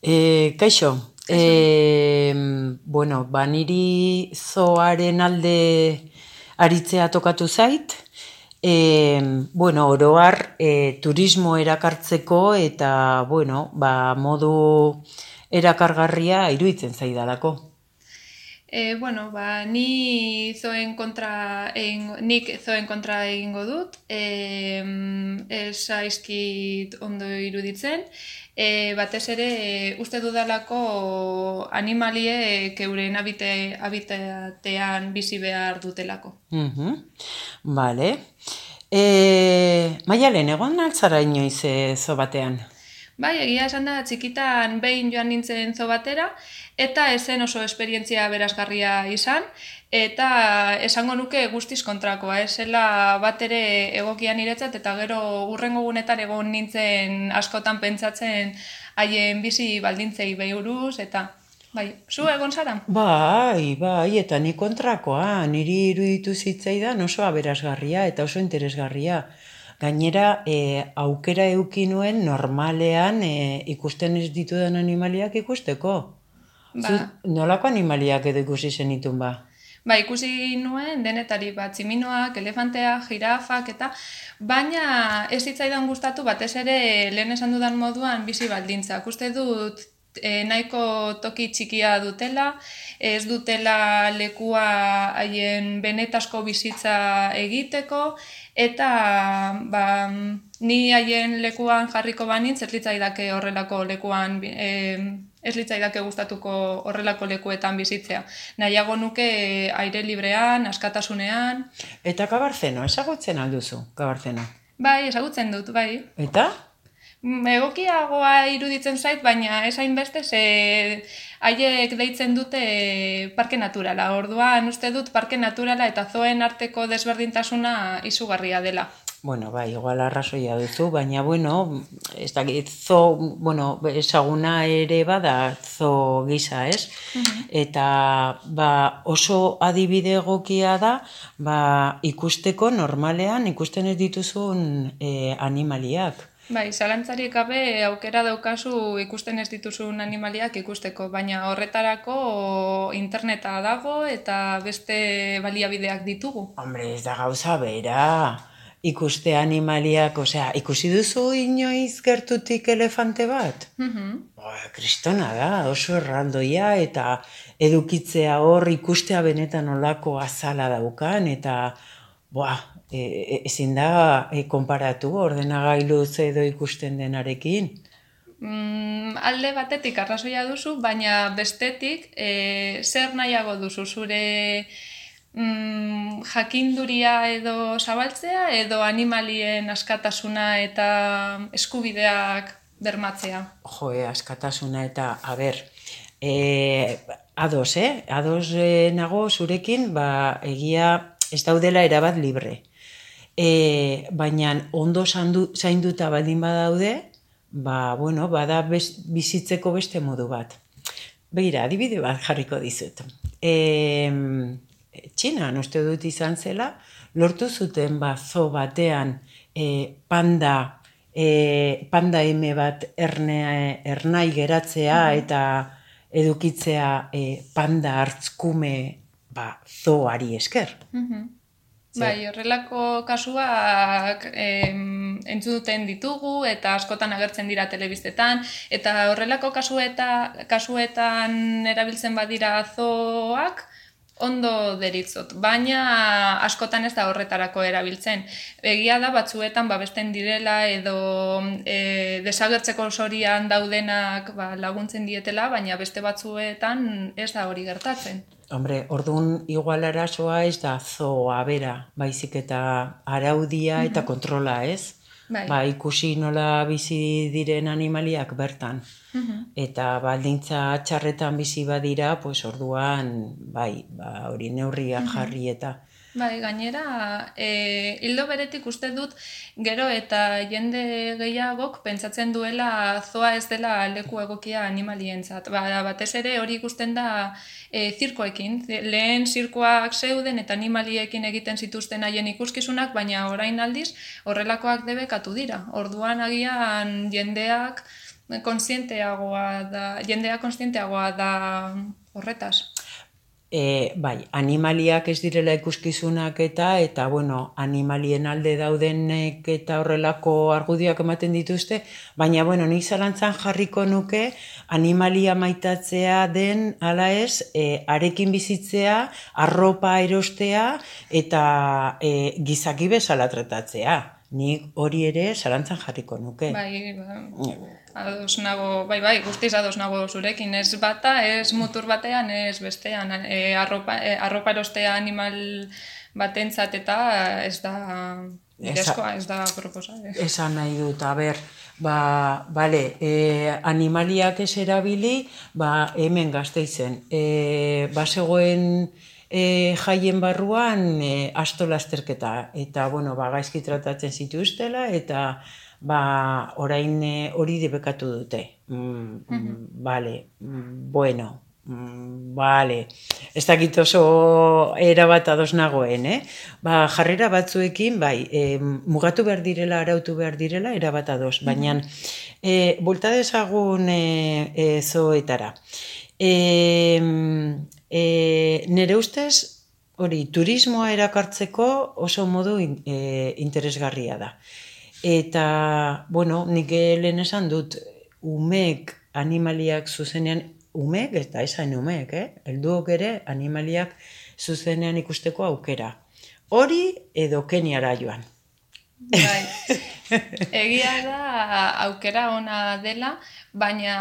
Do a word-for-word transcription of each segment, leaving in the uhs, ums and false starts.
E, kaixo, e, bueno, ba, niri zoaren alde aritzea tokatu zait, e, bueno, oroar e, turismo erakartzeko eta, bueno, ba, modu erakargarria iruditzen zaidalako. E, bueno, ba, ni zoen kontra egin, nik zoen kontra egingo dut, e, ez zaizkit ondo iruditzen, e, batez ere e, uste dudalako animaliek euren habite, habitatean bizi behar dutelako. Mhm, Bale. E, Maialen, egon altzara inoiz e, zo batean? Bai, egia esan da, txikitan behin joan nintzen zo batera, eta esen oso esperientzia berazgarria izan, eta esango nuke guztiz kontrakoa, esela bat ere egokia niretzat, eta gero urrengo gunetan egon nintzen askotan pentsatzen haien bizi baldintzei behuruz, eta bai, zu egon zara? Bai, bai, eta ni kontrakoa, niri iruditu zitzaidan oso aberasgarria eta oso interesgarria. Gainera, e, aukera eduki nuen normalean e, ikusten ez ditudan animaliak ikusteko. Zu, Ba, nolako animaliak edo ikusi zenitun ba? Ba, ikusi nuen denetari bat, tximinoak, elefanteak, jirafak eta baina ez zitzaidan gustatu batez ere lehen esan dudan moduan bizi baldintzak. Uste dut e, nahiko toki txikia dutela, ez dutela lekua haien benetasko bizitza egiteko eta ba, ni haien lekuan jarriko banintz ez litzaidake horrelako lekuan e, ez litzaidake gustatuko horrelako lekuetan bizitzea. Nahiago nuke aire librean, askatasunean. Eta kabarzeno, ezagutzen alduzu, kabarzeno. Bai, ezagutzen dut, bai. Eta? Egokiagoa iruditzen zait, baina ez hainbeste ze haiek deitzen dute parke naturala. Orduan uste dut parke naturala eta zoen arteko desberdintasuna izugarria dela. Bueno, bai, igual arrazoia duzu, baina, bueno, ez da, zo, bueno, ezaguna ere bada zo gisa, ez? Uh-huh. Eta, ba, oso adibide egokia da, ba, ikusteko normalean ikusten ez dituzun e, animaliak. Bai, zalantzarik gabe aukera daukazu ikusten ez dituzun animaliak ikusteko, baina horretarako interneta dago eta beste baliabideak ditugu. Hombre, ez da gauza bera. Ikuste animaliak, osea, ikusi duzu inoiz gertutik elefante bat? Mhm. Ba, kristona da, oso erraldoia eta edukitzea hor ikustea benetan olako azala daukan eta boa, e, e, ezin da e, konparatu ordenagailuz edo ikusten denarekin. Mm, alde batetik arrazoia duzu, baina bestetik e, zer nahiago duzu zure mm, jakinduria edo zabaltzea edo animalien askatasuna eta eskubideak bermatzea. Joe, askatasuna eta, a ber, e, ados, eh? Ados e, nago zurekin, ba, egia ez daudela erabat libre. E, baina ondo zaindu, zainduta baldin badaude, ba, bueno, bada bez, bizitzeko beste modu bat. Begira, adibide bat jarriko dizut. E, Txinan, uste dut izan zela, lortu zuten ba, zo batean e, panda, e, panda eme bat erne, ernai geratzea eta edukitzea e, panda hartzkume ba, zoari esker. Mm-hmm. Bai, horrelako kasuak em, entzuten ditugu eta askotan agertzen dira telebiztetan eta horrelako kasueta, kasuetan erabiltzen badira zoak ondo deritzot, baina askotan ez da horretarako erabiltzen. Egia da batzuetan babesten direla edo e, desagertzeko sorian daudenak ba, laguntzen dietela, baina beste batzuetan ez da hori gertatzen. Hombre, orduan igual arazoa ez da zoa bera, baizik eta araudia eta kontrola, ez? Bai. Ba, ikusi nola bizi diren animaliak bertan. Eta baldintza txarretan bizi badira, pues orduan, bai, ba, hori neurriak jarri eta... Bai, gainera, e, hildo beretik uste dut gero eta jende gehiagok pentsatzen duela zoa ez dela leku egokia animalientzat. Ba, batez ere hori ikusten da e, zirkoekin. Lehen zirkoak zeuden eta animaliekin egiten zituzten haien ikuskizunak, baina orain aldiz horrelakoak debekatu dira. Orduan agian jendeak konsienteagoa da, jendea konsienteagoa da horretaz. E, bai, animaliak ez direla ikuskizunak eta, eta bueno, animalien alde daudenek eta horrelako argudioak ematen dituzte, baina, bueno, nik zalantzan jarriko nuke animalia maitatzea den, ala ez, e, arekin bizitzea, arropa erostea eta e, gizaki bezala tratatzea. Nik hori ere zalantzan jarriko nuke. Bai, ba, ados nago, bai, bai, guztiz ados nago zurekin, ez bata, ez mutur batean, ez bestean, e, arropa, e, arropa erostea animal batentzat eta ez da bidezkoa, ez da proposa. Esan nahi dut, a ber, ba, bale, e, animaliak ez erabili, ba, hemen Gasteizen, e, bazegoen E, jaien barruan e, asto lasterketa eta bueno, ba, gaizki tratatzen zituztela eta ba, orain e, hori debekatu dute. Mm, mm, vale, mm, bueno, mm, vale, ez dakit oso erabat ados nagoen, eh? Ba, jarrera batzuekin, bai, e, mugatu behar direla, arautu behar direla, erabat ados, baina e, bulta dezagun e, e, zoetara. E, E, nire ustez, hori, turismoa erakartzeko oso modu in, e, interesgarria da. Eta, bueno, nik lehen esan dut, umeek animaliak zuzenean, umeek, eta esan umeek, eh? Helduok ere animaliak zuzenean ikusteko aukera. Hori edo Keniara joan. Bai, egia da aukera ona dela, baina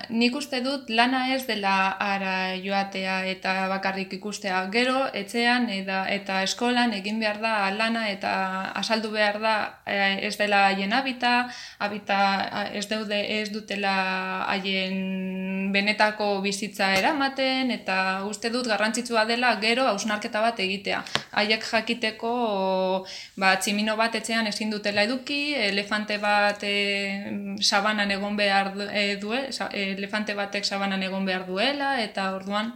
nik uste dut lana ez dela ara joatea eta bakarrik ikustea. Gero, etxean eta, eta eskolan egin behar da lana eta asaldu behar da ez dela haien habita, habita ez, daude, ez dutela haien benetako bizitza eramaten, eta uste dut garrantzitsua dela gero hausnarketa bat egitea. Haiek jakiteko ba, tximino bat etxean ezin dutela eduki, elefante bat e, sabanan egon behar du, e, due, elefante batek sabanan egon behar duela, eta orduan...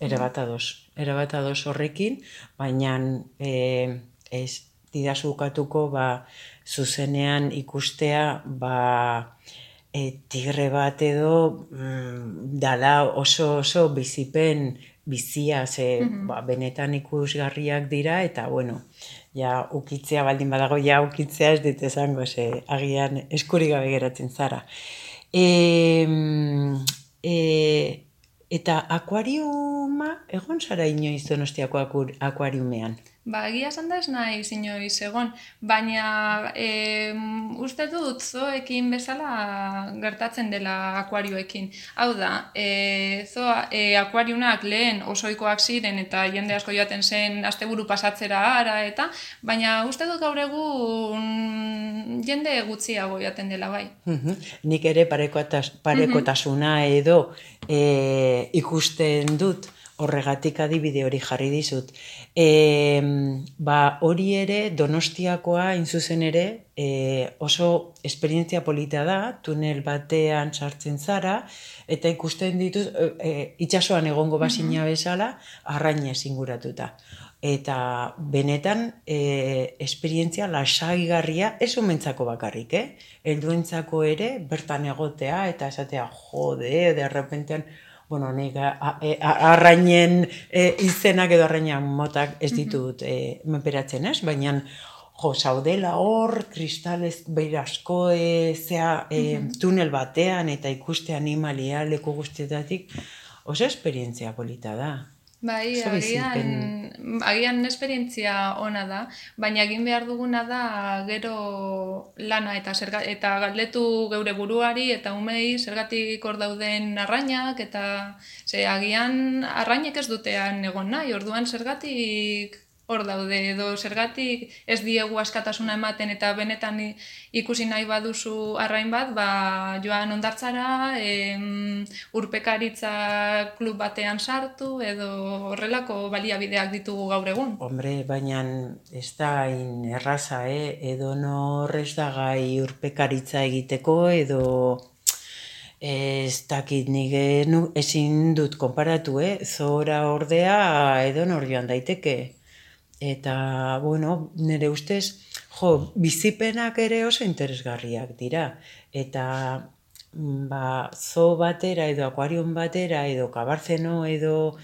Ere bat ados, ere bat ados horrekin, baina e, ez didazu ukatuko ba, zuzenean ikustea ba, e, tigre bat edo mm, dala oso oso bizipen bizia, ze mm-hmm. ba, benetan ikusgarriak dira, eta bueno, ja ukitzea baldin badago, ja ukitzea ez dit esango, ze agian eskurik gabe geratzen zara. E, e, eta akuariuma, egon zara inoiz Donostiako akuariumean? Ba, egia esan da ez nahi inoiz egon, baina e, uste dut zoekin bezala gertatzen dela akuarioekin. Hau da, e, zoa, e, akuariunak lehen osoikoak ziren eta jende asko joaten zen asteburu pasatzera ara eta, baina uste dut gaur egun jende gutxiago joaten dela bai. Nik ere parekotasuna edo e, ikusten dut, horregatik adibide hori jarri dizut. E, ba, hori ere Donostiakoa inzuzen ere e, oso esperientzia polita da, tunel batean sartzen zara, eta ikusten dituz, e, itsasoan egongo bazina bezala, arrainez inguratuta. Eta benetan e, esperientzia lasaigarria ez umentzako bakarrik, eh? Helduentzako ere bertan egotea eta esatea jode, de repentean, bueno, nik arrainen e, izenak edo arrainan motak ez ditut e, menperatzen ez, baina jo, zaudela hor, kristalez beirasko e, zea, e, tunel batean eta ikuste animalia leku guztietatik, oso esperientzia polita da. Bai, agian, agian esperientzia ona da, baina egin behar duguna da gero lana eta zerga, eta galdetu geure buruari eta umei zergatik hor dauden arrainak, eta ze, agian arrainek ez dutean egon nahi, orduan zergatik hor daude, edo zergatik ez diegu askatasuna ematen eta benetan ikusi nahi baduzu arrain bat, ba, joan hondartzara, em, urpekaritza klub batean sartu, edo horrelako baliabideak ditugu gaur egun. Hombre, baina ez da in erraza, eh? Edo norrez da gai urpekaritza egiteko, edo ez dakit nik ezin dut konparatu, eh? Zora ordea edo nor joan daiteke. Eta, bueno, nire ustez, jo, bizipenak ere oso interesgarriak dira. Eta ba, zoo batera edo akuarium batera edo kabarzeno edo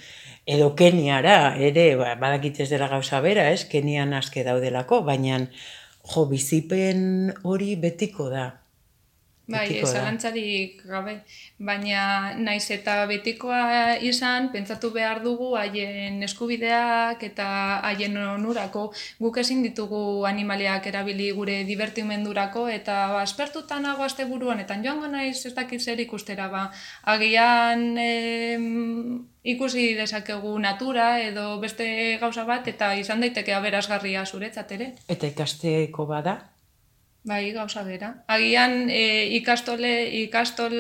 edo Keniara ere, ba, badakit ez dela gauza bera, ez? Kenian aske daudelako, baina jo, bizipen hori betiko da. Bai, Betiko da. zalantzarik gabe, baina naiz eta betikoa izan, pentsatu behar dugu haien eskubideak eta haien onurako guk ezin ditugu animaliak erabili gure divertimendurako eta ba, aspertuta nago asteburu honetan joango naiz ez dakit zer ikustera ba, agian em, ikusi dezakegu natura edo beste gauza bat eta izan daiteke aberasgarria zuretzat ere. Eta ikasteko bada? Bai, gauza bera. Agian e, ikastole, ikastol,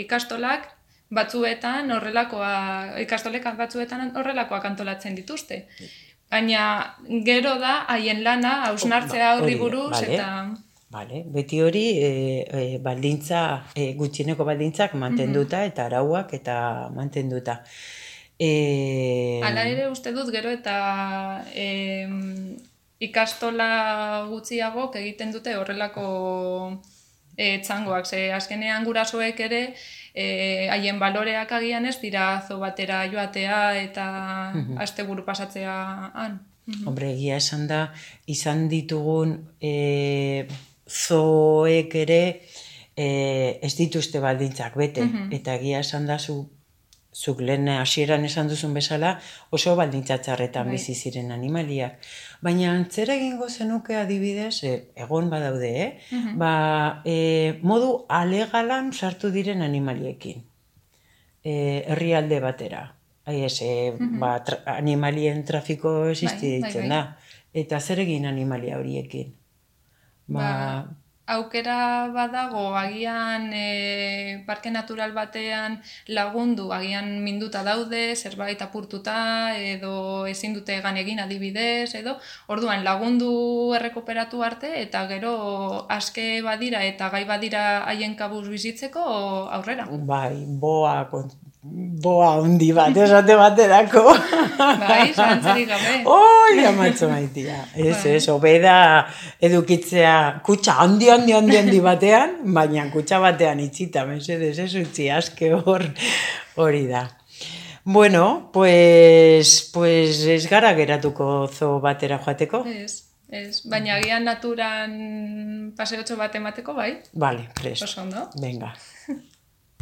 ikastolak batzuetan horrelakoa, ikastolek batzuetan horrelakoak antolatzen dituzte. Baina gero da haien lana hausnartzea horri buruz vale. eta... Vale. Beti hori e, e, baldintza, e, gutxieneko baldintzak mantenduta mm-hmm. eta arauak eta mantenduta. E... Hala ere uste dut gero eta... E, ikastola gutxiagok egiten dute horrelako e, txangoak, ze azkenean gurasoek ere haien e, baloreak agian ez dira zo batera joatea eta mm-hmm. asteburu pasatzea han. Mm-hmm. Hombre, egia esan da, izan ditugun e, zoek ere e, ez dituzte baldintzak bete, mm-hmm. eta egia esan da zu zuk lehen hasieran esan duzun bezala oso baldintzatxarretan bizi ziren animaliak. Baina antzera egingo zenuke adibidez, e, egon badaude, eh? Mm-hmm. ba, e, modu alegalan sartu diren animaliekin. E, herrialde batera. Hai ez, e, mm-hmm. ba, tra, animalien trafiko existi bai, ditzen bai, bai. da. Eta zer egin animalia horiekin? Ba... ba aukera badago agian e, parke natural batean lagundu, agian minduta daude, zerbait apurtuta edo ezin dute egan egin adibidez edo, orduan lagundu errekuperatu arte eta gero aske badira eta gai badira haien kabuz bizitzeko aurrera. Bai, boa boa hundi bat, esate baterako. Bai, zantzarik gabe. Oi, amatzo maitia. Ez, ez, obeda edukitzea kutsa handi, handi, handi, handi batean, baina kutsa batean itxita, mesedez, ez utzi aske hor hori da. Bueno, pues, pues ez gara geratuko zo batera joateko. Ez, ez, baina agian naturan paseotxo bat emateko, bai? Vale, presto. Oso ondo. Venga.